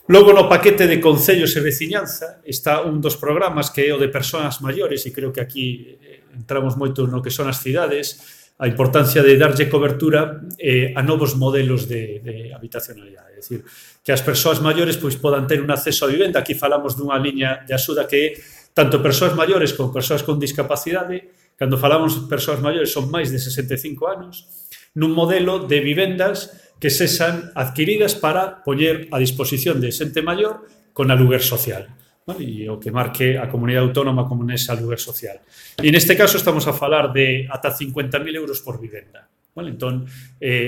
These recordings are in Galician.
Logo, no paquete de concellos e veciñanza está un dos programas que é o de persoas maiores, e creo que aquí entramos moito no que son as cidades, a importancia de darlle cobertura a novos modelos de habitacionalidade. É dicir, que as persoas maiores pois, podan ter un acceso a vivenda. Aquí falamos dunha liña de axuda que é tanto persoas maiores como persoas con discapacidade. Cando falamos de persoas maiores son máis de 65 anos, nun modelo de vivendas que sexan adquiridas para poñer a disposición de xente maior con aluguer social, vale? E o que marque a comunidade autónoma como nese aluguer social. E neste caso estamos a falar de ata 50.000 euros por vivenda, vale? Entón,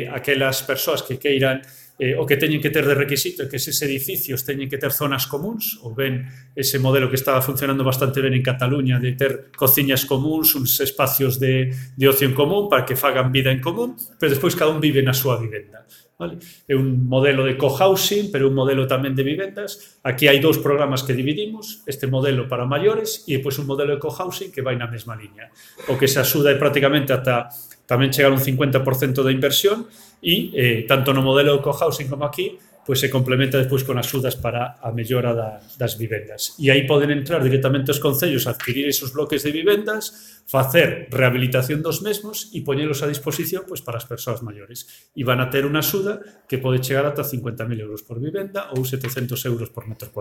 aquelas persoas que queiran o que teñen que ter de requisito é que eses edificios teñen que ter zonas comuns, ou ben ese modelo que estaba funcionando bastante ben en Cataluña de ter cociñas comuns, uns espacios de ocio en común para que fagan vida en común, pero despois cada un vive na súa vivenda. Vale? É un modelo de cohousing, pero un modelo tamén de vivendas. Aquí hai dous programas que dividimos, este modelo para maiores e depois un modelo de cohousing que vai na mesma liña. O que se axuda é prácticamente ata tamén chegar un 50% da inversión e tanto no modelo de cohousing como aquí pois se complementa despois con axudas para a mellora das vivendas. E aí poden entrar directamente os concellos a adquirir esos bloques de vivendas, facer rehabilitación dos mesmos e poñelos a disposición pois, para as persoas maiores. E van a ter unha axuda que pode chegar ata 50.000 euros por vivenda ou 700 euros por metro cuadrado.